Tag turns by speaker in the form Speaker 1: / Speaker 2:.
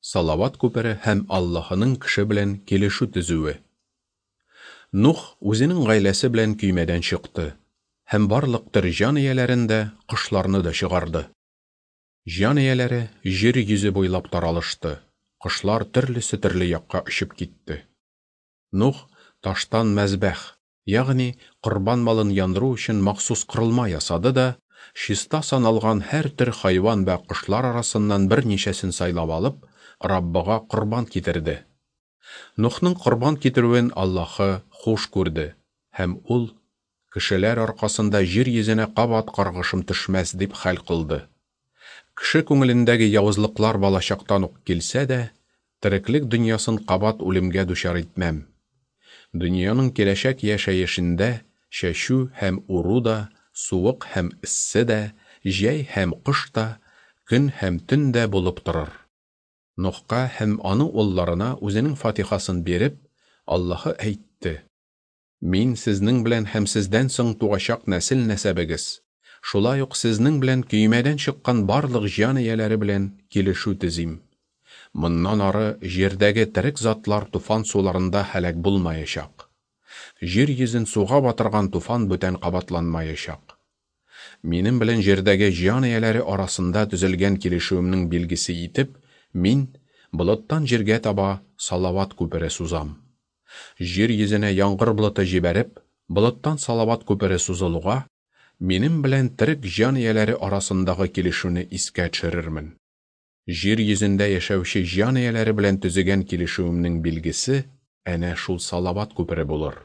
Speaker 1: Салават күпере һәм Аллаһының кеше белән килешү төзүе. Нух үзенең гаиләсе белән көймәдән чыкты һәм барлык төр җан ияләрен дә, кошларны да чыгарды. Җан ияләре җир йөзе буйлап таралышты, кошлар төрлесе төрле якка очып китте. Нух таштан мәзбәх, ягъни корбан малын яндыру өчен махсус корылма ясады да, чиста саналган һәр төр хайван вә кошлар арасыннан берничәсен сайлап алып, Раббыга корбан китерде. Нухның корбан китерүен Аллаһы хуш күрде, һәм ул, Кешеләр аркасында җир йөзенә кабат каргышым төшмәс, дип хәл кылды. Кеше күңелендәге явызлыклар балачактан ук килсә дә, тереклек дөньясын кабат үлемгә дучар итмәм. Дөньяның киләчәк яшәешендә чәчү һәм уру да, суык һәм эссе дә, җәй һәм кыш та, көн һәм төн дә булып торыр. Нухка һәм аның улларына үзенең фатихасын биреп, Аллаһы әйтте, Мин сезнең белән һәм сездән соң туачак нәсел-нәсәбегез, шулай ук сезнең белән көймәдән чыккан барлык җан ияләре белән килешү төзим. Моннан ары җирдәге терек затлар туфан суларында һәлак булмаячак. Җир йөзен суга батырган туфан бүтән кабатланмаячак. Минем белән җирдәге җан ияләре арасында төзелгән килешүемнең билгесе итеп, мин болыттан җиргә таба салават күпере сузам. Җир йөзенә яңгыр болыты җибәреп, болыттан салават күпере сузылуга, минем белән терек җан ияләре арасындагы килешүне искә төшерермен. Җир йөзендә яшәүче җан ияләре белән төзегән килешүемнең билгесе әнә шул салават күпере булыр.